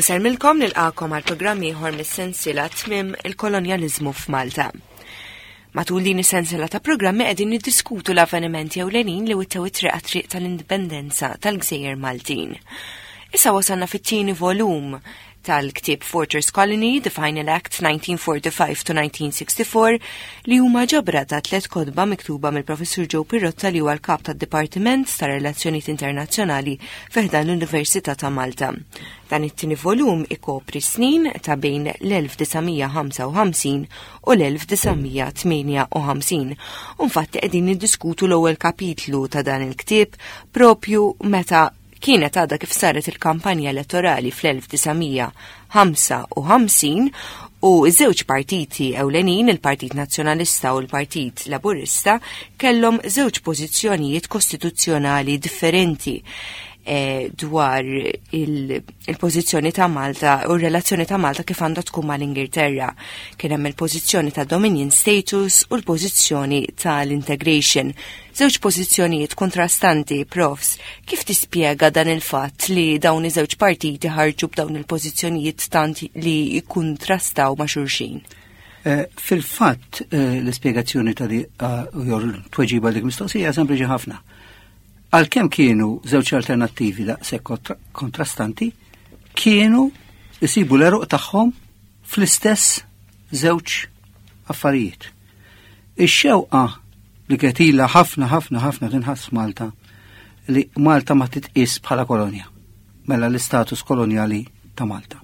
Insellmilkom nilqakom għal programm ieħor mis-sensiela Tmiem il-Kolonjaliżmu f'Malta. Matul din is-sensiela ta' programmi qegħdin niddiskutu l-avvenimenti ewlenin li wittew it-triq għat-triq tal-indipendenza tal-Gżejjer Maltin. Issa wasalna fit-tieni volum tal-ktieb Fortress Colony, The Final Act 1945 to 1964, li huma ġabra ta' tlet kotba miktuba mill-Professur Joe Pirrotta li huwa l-kap tad-Dipartiment ta' Relazzjonijiet Internazzjonali fi ħdan l-Università ta' Malta. Dan it-tieni volum ikopri snin ta' bejn l-1955 u l-1958. U nfatti qegħdin niddiskutu l-ewwel kapitlu ta' dan il-ktieb propju meta Kienet għadha kif saret il-kampanja elettorali fl-1955 u ż-żewġ partiti ewlenin, il-Partit Nazzjonalista u l-Partit Laburista, kellhom żewġ pożizzjonijiet kostituzzjonali differenti eh, dwar il-pożizzjoni ta' Malta u r-relazzjoni ta' Malta kif għandha tkun mal-Ingilterra. Kien hemm il-pożizzjoni ta' Dominion status u l-pożizzjoni tal-integration. Żewġ pożizzjonijiet kontrastanti, profs, kif tispjega dan il-fatt li dawn iż-żewġ partiti ħarġu b'dawn il-pożizzjonijiet tant li jikkuntrastaw ma' xulxin? Eh, fil-fatt eh, l-ispjegazzjoni ta' di eh, jew tweġiba dik mistoqsija sempliċi ħafna. Għalkemm kienu żewġ alternattivi daqshekk kontrastanti, kienu jsibu l-eruq tagħhom fl-istess żewġ affarijiet. Ix-xewqa li kienet ilha ħafna ħafna ħafna tinħass f'Malta li Malta ma titqis bħala kolonja, mela l-istatus kolonjali ta' Malta.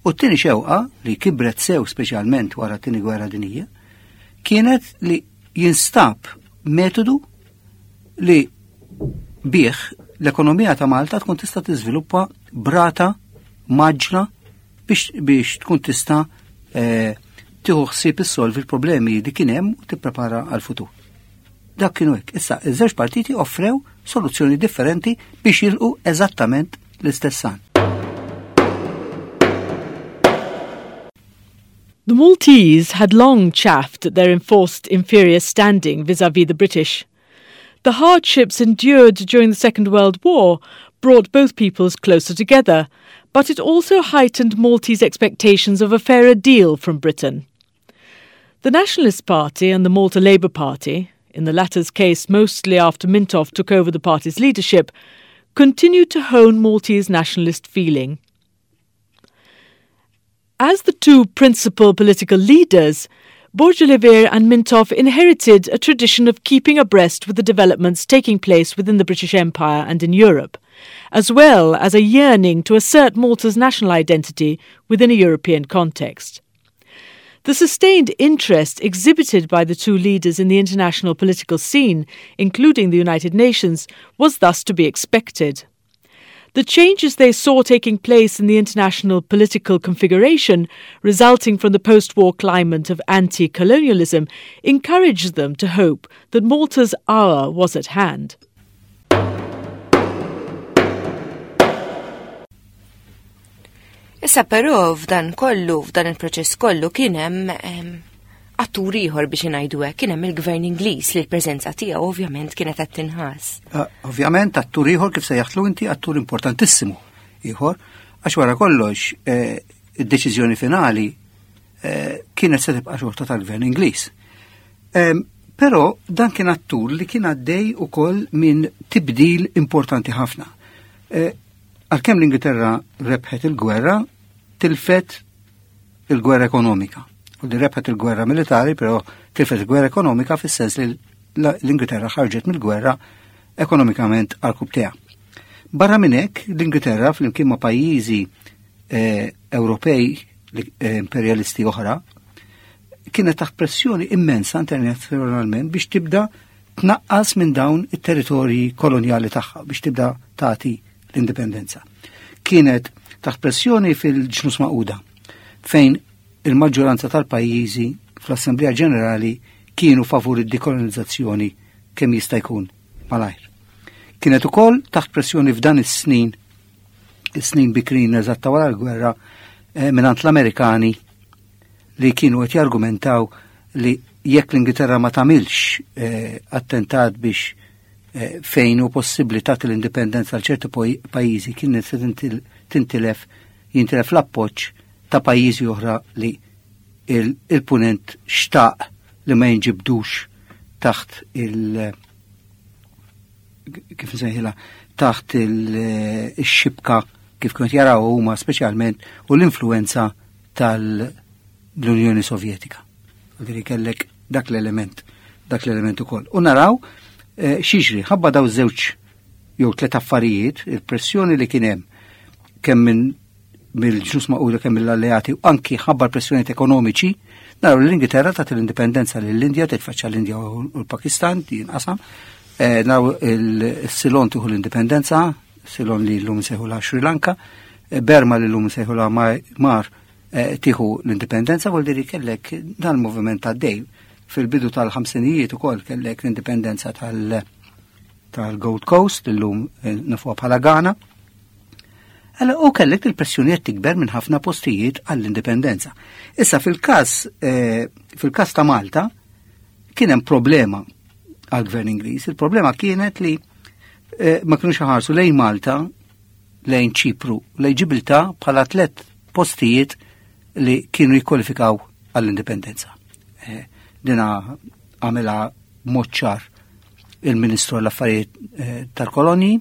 U t-tieni xewqa li kibret sew speċjalment wara t-tieni gwerra dinjija kienet li jinstab metodu li bih l-ekonomija ta' Malta tkun tista' tiżviluppa brata maġla biex, biex tkun tista' eh, tieħu ħsieb issolvi l-problemi li kien hemm u tipprepara għal-futur. Dak kienu hekk. Issa, iż-żewġ partiti offrew soluzzjoni differenti biex jilqu eżattament l-istess għan. The Maltese had long chaffed at their enforced inferior standing vis-à-vis the British. The hardships endured during the Second World War brought both peoples closer together, but it also heightened Maltese expectations of a fairer deal from Britain. The Nationalist Party and the Malta Labour Party, in the latter's case mostly after Mintoff took over the party's leadership, continued to hone Maltese nationalist feeling. As the two principal political leaders, Borg Olivier and Mintoff inherited a tradition of keeping abreast with the developments taking place within the British Empire and in Europe, as well as a yearning to assert Malta's national identity within a European context. The sustained interest exhibited by the two leaders in the international political scene, including the United Nations, was thus to be expected. The changes they saw taking place in the international political configuration resulting from the post war climate of anti colonialism encouraged them to hope that Malta's hour was at hand. Issa però f'dan kollu, f'dan il-proċess kollu kien hemm attur ieħor biex ingħidu hekk, kien hemm il-Gvern Ingliż li l-preżenza tiegħu ovvjament kienet qed tinħass. Ah, ovvjament attur ieħor kif sejjaħtlu inti attur importantissimu ieħor, għax wara kollox eh, id-deċiżjoni finali eh, kienet se tibqa' xorta tal-Gvern Ingliż. Però dan kien attur li kien għaddej ukoll minn tibdil importanti ħafna. Eh, Għalkemm l-Ingilterra rebħet il-gwerra, tilfet il-gwerra ekonomika. U li rebħet il-gwerra militari, però tilfet il-gwerra ekonomika fis-sens li l-Ingilterra ħarġet mill-gwerra ekonomikament għal kubteha. Barra minn hekk, l-Ingilterra flimkien ma' pajjiżi eh, Ewropej eh, imperialisti oħra kienet taħt pressjoni immensa internazzjonalment biex tibda tnaqqas minn dawn it-territorji kolonjali tagħha biex tibda tagħti l-indipendenza. Kienet taħt pressjoni fil-ġnus maquda fejn il-maġġoranza tal-pajjiżi fl-Assemblea Ġenerali kienu favur id-dekolonizzazzjoni kemm jista' jkun malajr. Kienet ukoll taħt pressjoni f'dan is-snin is-snin bikrin eżatta wara l-gwerra eh, mingħand l-Amerikani li kienu qed jargumentaw li jekk l-Ingilterra ma tagħmilx eh, attentat biex eh, fejn hu possibbli tagħti l-indipendenza għal ċerti pajjiżi kienet se tintilef jintilef l-appoġġ ta' pajjiżi oħra li il-punent xtaq li ma jinġibdux taħt il- kif nsejħilha taħt il-xibka kif kont jaraw huma speċjalment u l-influenza tal-Unjoni Sovjetika. Għadri kellek dak l-element, dak l-element ukoll. U naraw eh, xiġri, ħabba daw żewġ jew tliet affarijiet, il-pressjoni li kien hemm kemm minn mill-ġnus maquda kemm mill-alleati u anki ħabba pressjonijiet ekonomiċi, naraw l-Ingilterra tat l-indipendenza lill-Indja, titfaċċa l-Indja u l-Pakistan, jinqasam, eh, naraw il-Silon tieħu l-indipendenza, Silon li l-lum sejħu la Sri Lanka, eh, Berma li l-lum sejħu la Mar eh, tieħu l-indipendenza, vuol dire kellek dan il-moviment għaddej fil-bidu tal-ħamsinijiet ukoll kellek l-indipendenza tal- tal-Gold Coast, illum nafuha bħala Ghana. Għala u kellek il-pressjoni qed tikber minn ħafna postijiet għall-indipendenza. Issa fil-każ eh, fil-każ ta' Malta kien hemm problema għall-gvern Ingliż. Il-problema kienet li eh, ma kienux ħarsu lejn Malta, lejn Ċipru, lejn Ġibilta bħala tliet postijiet li kienu jikkwalifikaw għall-indipendenza. Eh, dina għamela mod ċar il-Ministru għall-Affarijiet eh, tal-Kolonji,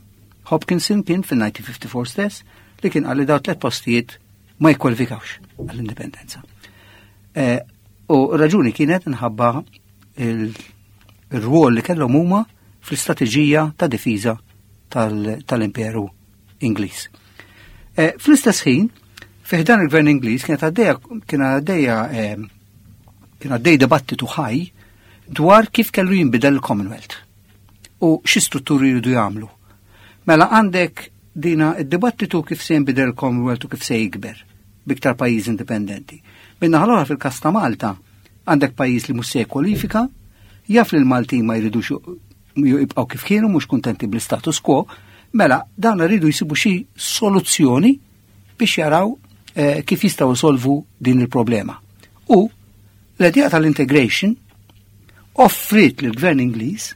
Hopkinson kien fil-1954 stess, li kien għalli daw tlet postijiet ma jikkwalifikawx għall-indipendenza. Eh, u raġuni kienet nħabba il-rwol li kellhom huma fl-istrateġija ta' difiża tal-Imperu Ingliż. Eh, fl-istess ħin, fiħdan il-Gvern Ingliż kienet għaddejja kien għaddejja kien għaddej dibattitu ħaj dwar kif kellu jinbidel il-Commonwealth u xi strutturi jridu jagħmlu. Mela għandek dina id-dibattitu kif se jinbidel il-Commonwealth u kif se jikber biktar pajjiż indipendenti. Minna ħalora fil-kas ta' Malta għandek pajjiż li mhux se jikkwalifika, jaf li l-Maltin ma jridux jibqgħu kif kienu mhux kuntenti bl-status quo, mela dawn rridu jsibu xi soluzzjoni biex jaraw eh, kif jistgħu jsolvu din il-problema. U l-idea tal-integration offrit lill-gvern Ingliż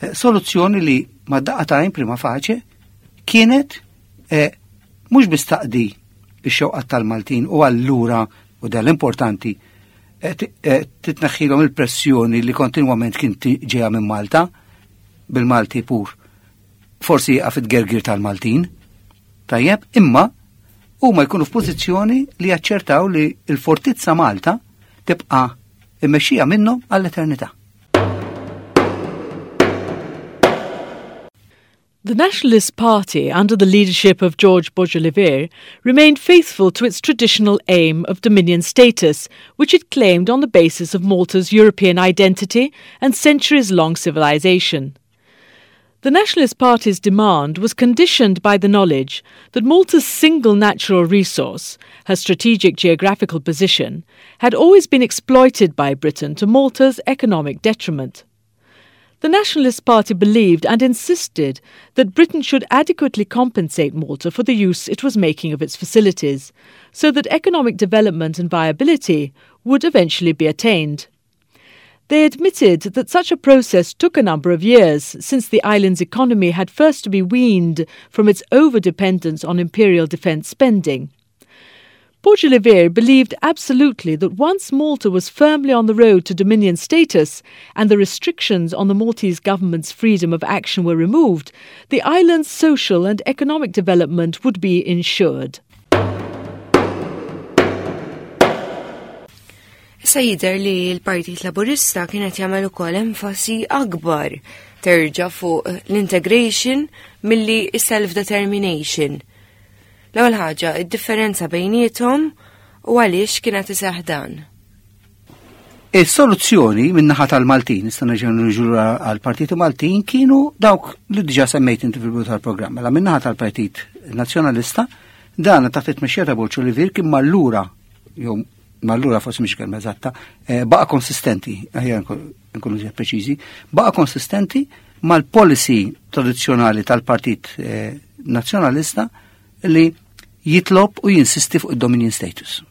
eh, soluzzjoni li ma daqqa ta' prima faċe kienet eh, mhux biss taqdi ix-xewqat tal-Maltin u allura u dan l-importanti eh, titneħħilhom il-pressjoni li kontinwament kien ġejja minn Malta bil-Malti pur. Forsi jaqaf it-gergir tal-Maltin. Tajjeb, imma huma jkunu f'pożizzjoni li jaċċertaw li l-fortizza Malta tibqa' immexxija minnhom għall-eternità. The Nationalist Party, under the leadership of George Borg Olivier, remained faithful to its traditional aim of Dominion status, which it claimed on the basis of Malta's European identity and centuries long civilization. The Nationalist Party's demand was conditioned by the knowledge that Malta's single natural resource, her strategic geographical position, had always been exploited by Britain to Malta's economic detriment. The Nationalist Party believed and insisted that Britain should adequately compensate Malta for the use it was making of its facilities, so that economic development and viability would eventually be attained. They admitted that such a process took a number of years, since the island's economy had first to be weaned from its over-dependence on imperial defence spending. Borg Olivier believed absolutely that once Malta was firmly on the road to Dominion status and the restrictions on the Maltese government's freedom of action were removed, the island's social and economic development would be ensured. Issa jidher li l-Partit Laburista kienet jagħmel ukoll enfasi akbar terġa' fuq l-integration milli self-determination. L-ewwel ħaġa, id-differenza bejniethom u għaliex kienet iseħħ dan. Is-soluzzjoni min-naħa tal-Maltin, nista' nerġa' niġu għall-Partiti Maltin, kienu dawk li diġà semmejt inti fil-bidu tal-programm. Mela min-naħa tal-Partit Nazzjonalista, dan taħt it-tmexxija ta' Borg Olivier kien mallura jew mallura forsi mhix kelma eżatta, eh, baqa' konsistenti, aħjar nkunu żjed preċiżi, baqa' konsistenti mal-policy tradizzjonali tal-Partit eh, Nazzjonalista li jitlob u jinsisti fuq id-dominion status.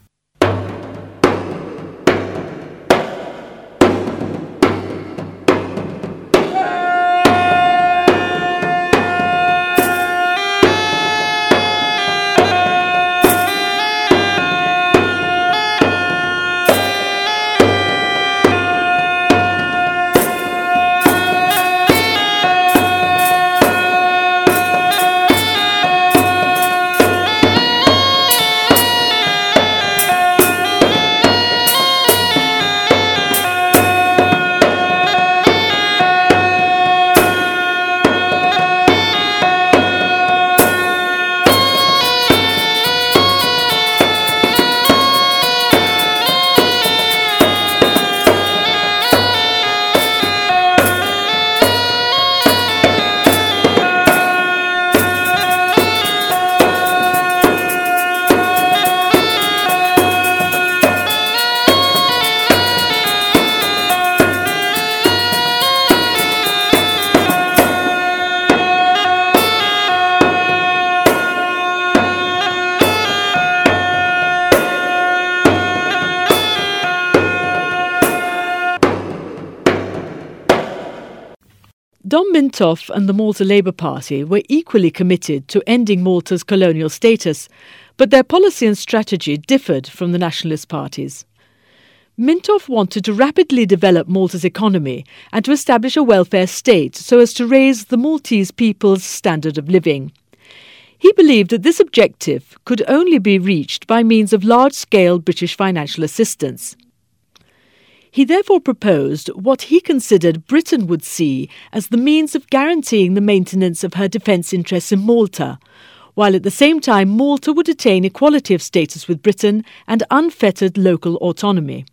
Dom Mintoff and the Malta Labour Party were equally committed to ending Malta's colonial status, but their policy and strategy differed from the nationalist parties. Mintoff wanted to rapidly develop Malta's economy and to establish a welfare state so as to raise the Maltese people's standard of living. He believed that this objective could only be reached by means of large-scale British financial assistance. He therefore proposed what he considered Britain would see as the means of guaranteeing the maintenance of her defence interests in Malta, while at the same time Malta would attain equality of status with Britain and unfettered local autonomy.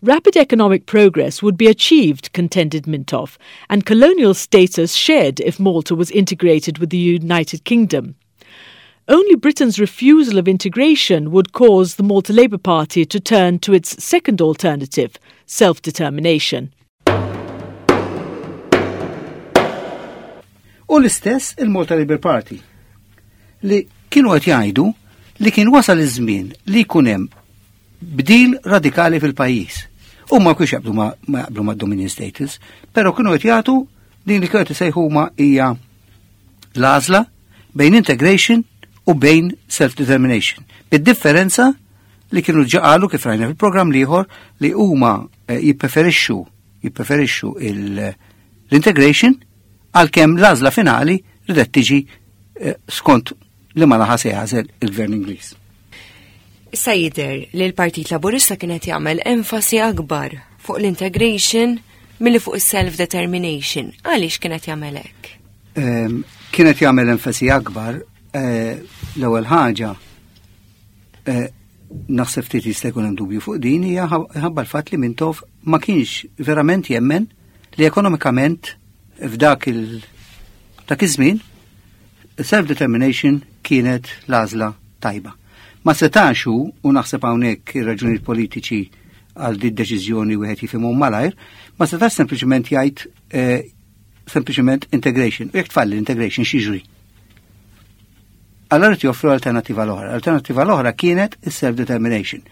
Rapid economic progress would be achieved, contended Mintoff, and colonial status shed if Malta was integrated with the United Kingdom. Only Britain's refusal of integration would cause the Malta Labour Party to turn to its second alternative, self-determination. U l-istess il-Malta Labour Party li kienu qed jgħidu li kien wasal iż-żmien li jkun hemm bdil radikali fil-pajjiż. U ma kienx jaqblu ma jaqblu ma' dominion status, però kienu qed jagħtu din li kienu qed isejħu huma hija l-għażla bejn integration u bejn self-determination. Bid-differenza li kienu ġaqalu kif rajna fil-programm liħor li huma eh, jippreferixxu jippreferixxu l-integration għalkemm l-għażla finali ridet tiġi eh, skont li ma laħa se jagħżel il-Gvern Ingliż. Issa jidher li l-Partit Laburista kien qed jagħmel enfasi akbar fuq l-integration milli fuq is-self-determination. Għaliex kien qed jagħmel hekk? Ehm, kien qed jagħmel enfasi akbar eh, l-ewwel ħaġa eh, naħseb ftit jista' jkun hemm dubju fuq din hija ħabba l-fatt li Mintoff ma kienx verament jemmen li ekonomikament f'dak il dak iż-żmien self-determination kienet l-għażla tajba. Ma setax hu, u naħseb hawnhekk ir-raġunijiet politiċi għal di deċiżjoni wieħed jifhimhom malajr, ma setax sempliċement jgħid eh, sempliċement integration. U jekk tfalli l-integration x'jiġri? Allora joffru alternativa l-oħra. L-alternativa l-oħra kienet is-self-determination,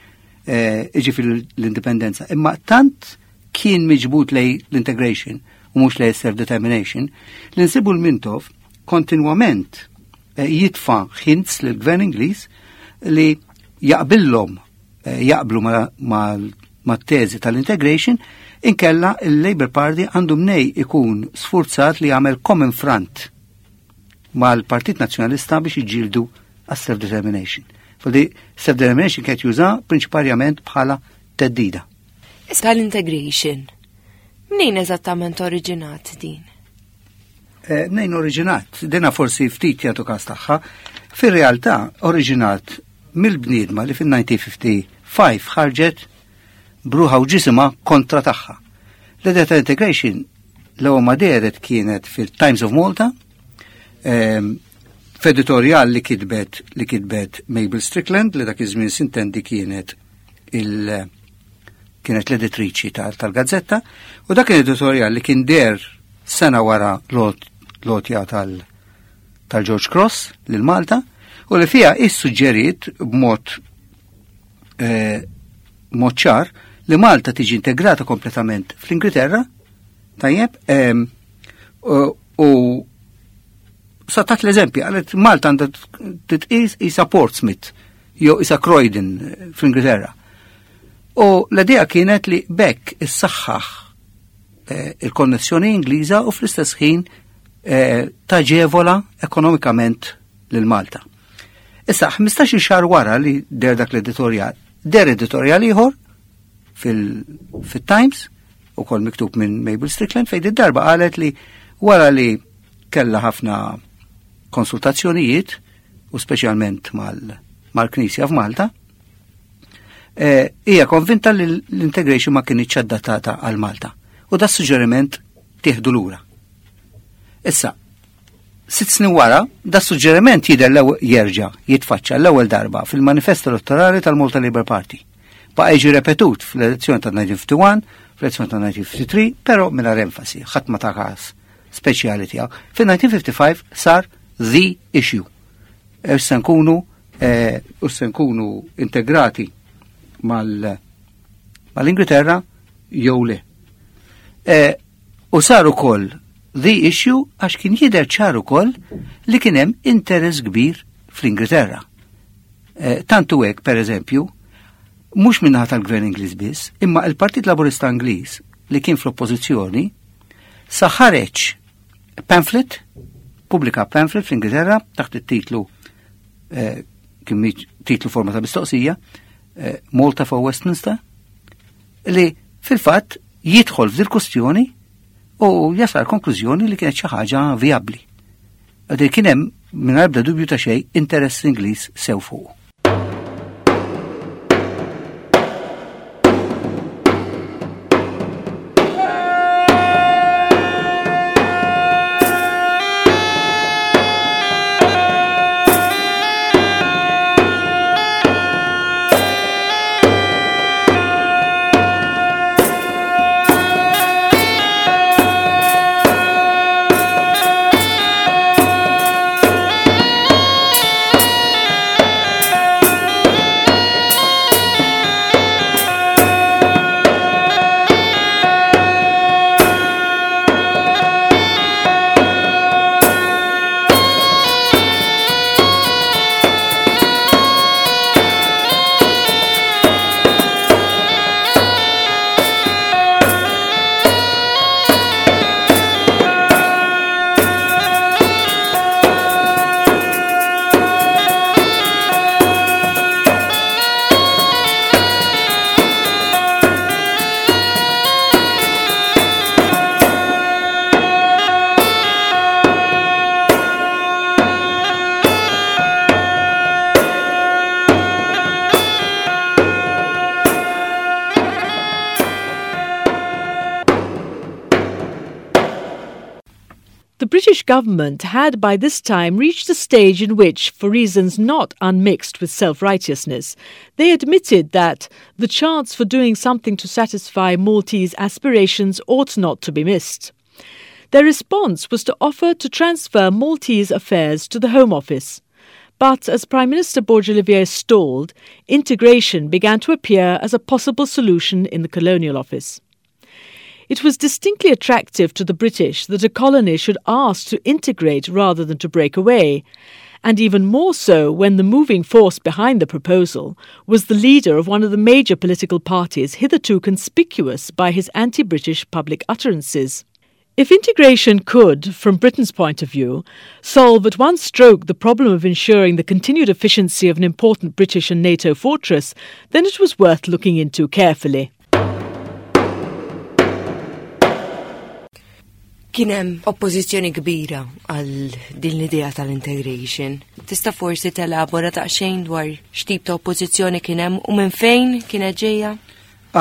eh, iġifieri l-indipendenza. Imma tant kien miġbud lej l-integration u mhux lej self-determination, li nsibu l-Mintoff kontinwament eh, jitfa' hints lill-gvern Ingliż li jaqbillhom eh, jaqblu ma' teżi tal-integration inkella il-Labour Party għandu mnej ikun sfurzat li jagħmel common front mal-Partit Nazzjonalista biex iġġieldu għas-self-determination. Fadi self-determination kienet juża prinċiparjament bħala theddida. Issa l-integration. Mnejn eżattament oriġinat din? Eh, mnejn oriġinat, dina forsi ftit jagħtu każ tagħha, fir-realtà oriġinat mill-bniedma li fin-1955 ħarġet b'ruħha u ġisimha kontra tagħha. L-idea ta' integration l-ewwel ma dehret kienet fil-Times of Malta, ehm, f'editorjal li kitbet li kitbet Mabel Strickland li dak iż-żmien sintendi kienet il kienet l-editriċi tal-gazzetta u dak editorjal li kien der sena wara l-għotja tal-George Cross lil Malta u li fija issuġġeriet b'mod eh, mod ċar li Malta tiġi integrata kompletament fl-Ingilterra, tajjeb, ehm, u satat l-eżempju, qalet Malta għandha titqis isa Portsmouth, jew isa Croydon fl-Ingilterra. U l-idea kienet li bekk issaħħaħ eh, il-konnessjoni Ingliża u fl-istess ħin eh, taġevola ekonomikament lil Malta. Issa, 15 xahar wara li der dak l-editorjal, der editorjal ieħor fil-Times, u kol miktub minn Mabel Strickland, fejn id-darba qalet li wara li kella ħafna konsultazzjonijiet, u speċjalment mal-Knisja f'Malta, eh, hija konvinta li l-integration ma kienx adattata għal Malta. U da suġġeriment tieħdu lura. Issa, 6 snin wara, da suġġeriment jidher jerġa' jitfaċċa l-ewwel darba fil-manifest elettorali tal-Malta Labour Party. Baqa' jiġi repetut fl-elezzjoni ta' 1951, fl-elezzjoni ta' 1953, però mingħajr enfasi, ħadd ma ta' każ speċjali tiegħu. Fil-1955 sar the issue. Issa nkunu eh, u se nkunu integrati mal-Ingilterra jew le. Eh, u sar ukoll the issue għax kien jidher ċar ukoll li kien hemm interess kbir fl-Ingilterra. Eh, tantu hekk, per eżempju, mhux minnaħa tal-Gvern Ingliż biss, imma il-Partit Laburista Ingliż li kien fl-oppożizzjoni sa ħareġ pamphlet, pubblika pamphlet fl-Ingilterra taħt it-titlu eh, kien titlu forma ta' mistoqsija, eh, Malta for Westminster, li fil-fatt jidħol f'dil kustjoni u jasal konklużjoni li kienet xi ħaġa vijabbli. Għadil kien hemm mingħajr ebda dubju ta' xejn interess Ingliż sew fuq. The British government had by this time reached a stage in which, for reasons not unmixed with self righteousness, they admitted that the chance for doing something to satisfy Maltese aspirations ought not to be missed. Their response was to offer to transfer Maltese affairs to the Home Office. But as Prime Minister Borg Olivier stalled, integration began to appear as a possible solution in the Colonial Office. It was distinctly attractive to the British that a colony should ask to integrate rather than to break away, and even more so when the moving force behind the proposal was the leader of one of the major political parties hitherto conspicuous by his anti British public utterances. If integration could, from Britain's point of view, solve at one stroke the problem of ensuring the continued efficiency of an important British and NATO fortress, then it was worth looking into carefully. Kien hemm oppożizzjoni kbira għal din l-idea tal-integration. Tista' forsi telabora daqsxejn dwar x'tip ta' oppożizzjoni kien hemm u minn fejn kienet ġejja?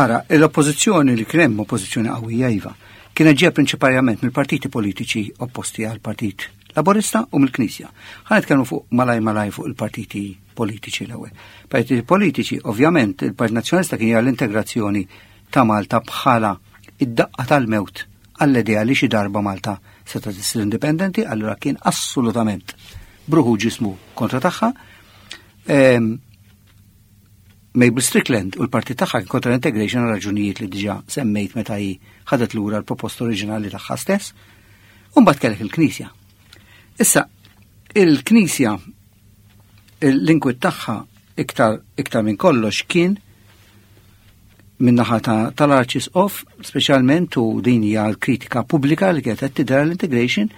Ara, l-oppożizzjoni li kien hemm oppożizzjoni qawwija iva, kienet ġejja prinċiparjament mill-partiti politiċi opposti għal Partit Laburista u mill-Knisja. Ħa nitkellmu fuq malaj malaj fuq il-partiti politiċi l-ewwel. Partiti politiċi, ovvjament, il-Partit Nazzjonalista kien jara l-integrazzjoni ta' Malta bħala id-daqqa tal-mewt għall-idea li xi darba Malta seta' tissir indipendenti, allura kien assolutament bruħu ġismu kontra tagħha. Ehm, Mabel Strickland u l-partit tagħha kien kontra l-integration għal raġunijiet li diġà semmejt meta hi ħadet lura l-proposta oriġinali tagħha stess. U mbagħad kellek il-Knisja. Issa, il-Knisja l-inkwit tagħha iktar iktar minn kollox kien min-naħa tal-Arċisqof, speċjalment u din hija l-kritika pubblika li kienet qed tidher l-integration,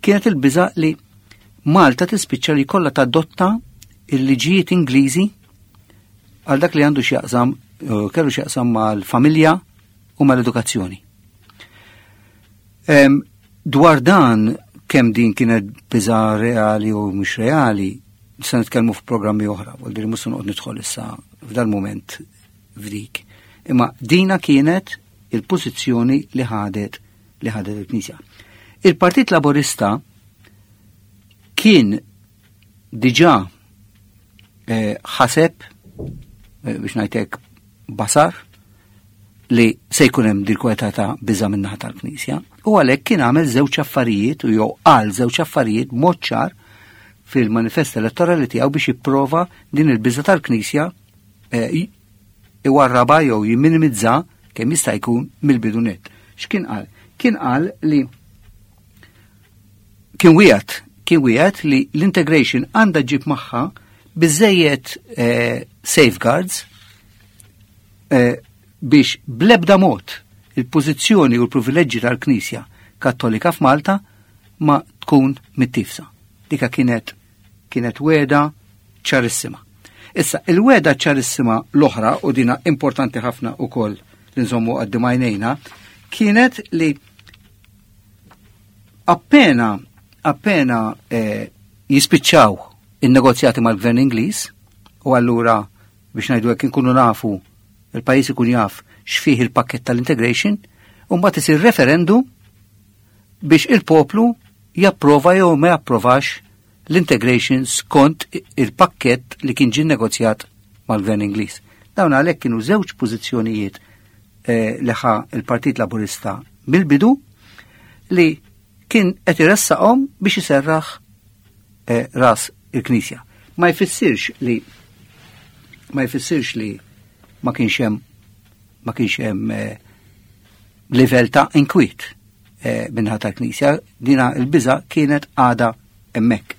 kienet il-biża' li Malta tispiċċa li kollha tadotta il-liġijiet Ingliżi għal dak li għandu x'jaqsam eh, kellu x'jaqsam mal-familja u mal-edukazzjoni. Dwar dan kemm din kienet biża reali u mhux reali, se nitkellmu f'programmi oħra, vuol dire mhux se noqgħod nidħol issa f'dal-mument f'dik. Imma dina kienet il-pożizzjoni li ħadet li ħadet il-Knisja. Il-Partit Laburista kien diġà eh, ħaseb eh, biex ngħidlek basar li se jkun hemm dil kwalità ta' biża' min-naħa tal-Knisja u għalhekk kien għamel żewġ affarijiet u jew qal żewġ affarijiet b'mod ċar fil-manifest elettorali tiegħu biex jipprova din il-biża' tal-Knisja eh, iwarraba jew jimminimizza kemm jista' jkun mill-bidu net. X'kien qal? Kien qal li Kien wieħed kien wieħed li l-integration għandha ġib magħha biżejjed eh, safeguards eh, biex blebda mod il-pożizzjoni u l-privileġġi tal-Knisja Kattolika f'Malta ma tkun mittifsa. Dika kienet kienet weda ċarissima. Issa, il-weda ċarissima l-oħra, u dina importanti ħafna u koll li nżommu għaddim għajnejna, kienet li appena appena eh, jispiċċaw in-negozjati mal-gvern Ingliż, u allura biex ngħidu hekk inkunu nafu il-pajjiż ikun jaf x'fih il-pakket tal-integration, u mbagħad isir referendum biex il-poplu japprova jew ma japprovax l-integration skont il-pakket li kien ġie negozjat mal-Gvern Ingliż. Dawn għalhekk kienu żewġ pożizzjonijiet eh, li ħa il-Partit Laburista mill-bidu li kien qed iressaqhom biex iserraħ eh, ras il-Knisja. Ma jfissirx li ma jfissirx li ma kienx hemm ma kienx hemm eh, livell ta' inkwiet eh, minnaħa tal-Knisja, dina il-biża kienet għada hemmhekk.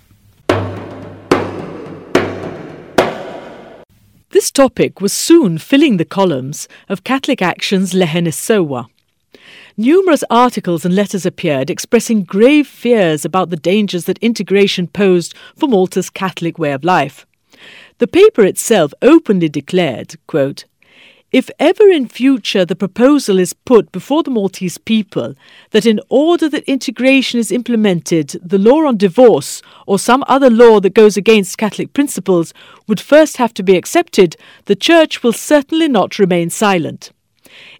This topic was soon filling the columns of Catholic Action's Leħen is-Sewwa. Numerous articles and letters appeared expressing grave fears about the dangers that integration posed for Malta's Catholic way of life. The paper itself openly declared, quote, If ever in future the proposal is put before the Maltese people that in order that integration is implemented, the law on divorce or some other law that goes against Catholic principles would first have to be accepted, the Church will certainly not remain silent.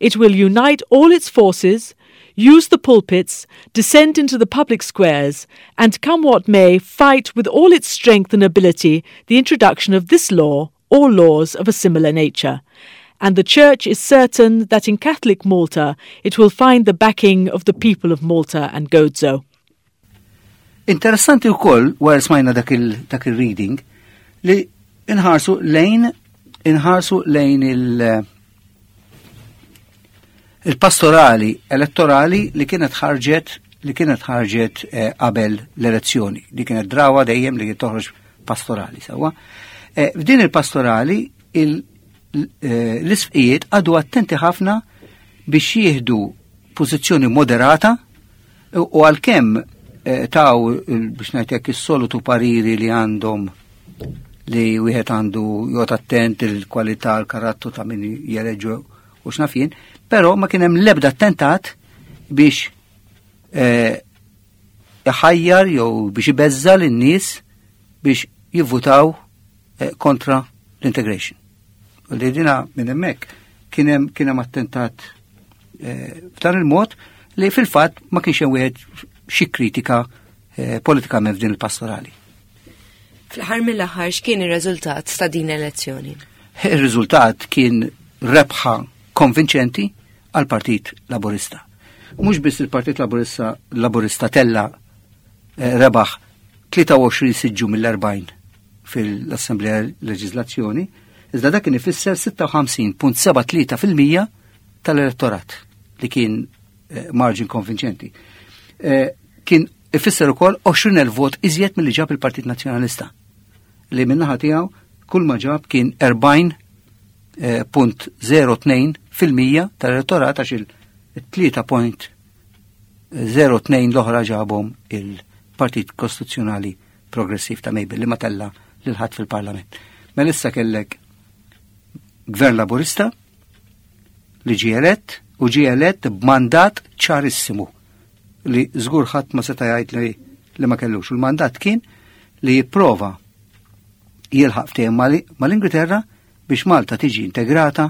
It will unite all its forces, use the pulpits, descend into the public squares, and come what may, fight with all its strength and ability the introduction of this law or laws of a similar nature. And the Church is certain that in Catholic Malta it will find the backing of the people of Malta and Gozo. Interessanti wkoll wara smajna dak il-reading li inħarsu lejn inħarsu lejn il- il-pastorali elettorali li kienet ħarġet li kienet ħarġet eh, qabel l-elezzjoni, li kienet drawa dejjem li toħroġ pastorali sewwa. Eh, f'din il-pastorali eh, l-isfqijiet għadu attenti ħafna biex jieħdu pożizzjoni moderata U għalkemm eh, taw biex ngħidlek is-solitu pariri li għandhom li wieħed għandu jgħod attent il-kwalità l-karattru ta' min jeleġu u x'naf jien, però ma kien hemm l-ebda attentat biex eh, iħajjar jew biex ibeżża lin-nies biex jivvutaw eh, kontra l-integration. U li dina minn hemmhekk kien hemm kien hemm attentat eh, f'dan il-mod li fil-fatt ma kienx hemm wieħed xi kritika eh, politikament f'din il-pastorali. Fl-aħħar mill-aħħar x'kien ir-riżultat ta' din l-elezzjoni? Ir-riżultat kien rebħa konvinċenti għal Partit Laburista. Mhux biss il-Partit Laburista Laburista tella eh, rebaħ 23 siġġu mill-40 fil-Assemblea Leġiżlazzjoni, iżda dak kien ifisser 56.73% tal-elettorat li kien eh, margin konvinċenti. Eh, kien ifisser ukoll 20,000 vot iżjed milli ġab il-Partit Nazzjonalista li minnaħa tiegħu kull ma ġab kien 40.02 eh, fil-mija tal-elettorat għax il-3.02 l-oħra ġabhom il-Partit Kostituzzjonali Progressiv ta' Mabel li ma tella lil ħadd fil-Parlament. Mela issa kellek Gvern Laburista li ġie elett u ġie elett b'mandat ċarissimu li żgur ħadd ma seta' jgħid li, li ma kellux. Il-mandat kien li jipprova jilħaq ftehim mal-Ingilterra biex Malta tiġi integrata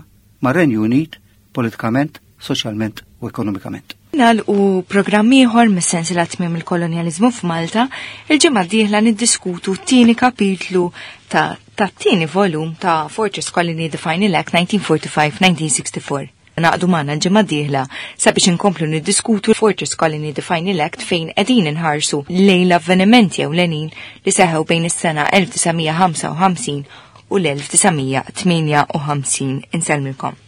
mar-Renju Unit politikament, soċjalment u ekonomikament. Nagħlqu programm ieħor mis-sensiela tmiem il-kolonjaliżmu f'Malta, il-ġimgħa d-dieħla niddiskutu t-tieni kapitlu ta' tat-tieni volum ta' Fortress Colony The Final Act 1945-1964. Naqdu magħna l-ġimgħa d-dieħla sabiex inkomplu niddiskutu Fortress Colony The Final Act fejn qegħdin inħarsu lejn l-avvenimenti ewlenin li seħew bejn is-sena 1955 u l-1958. Insellmilkom.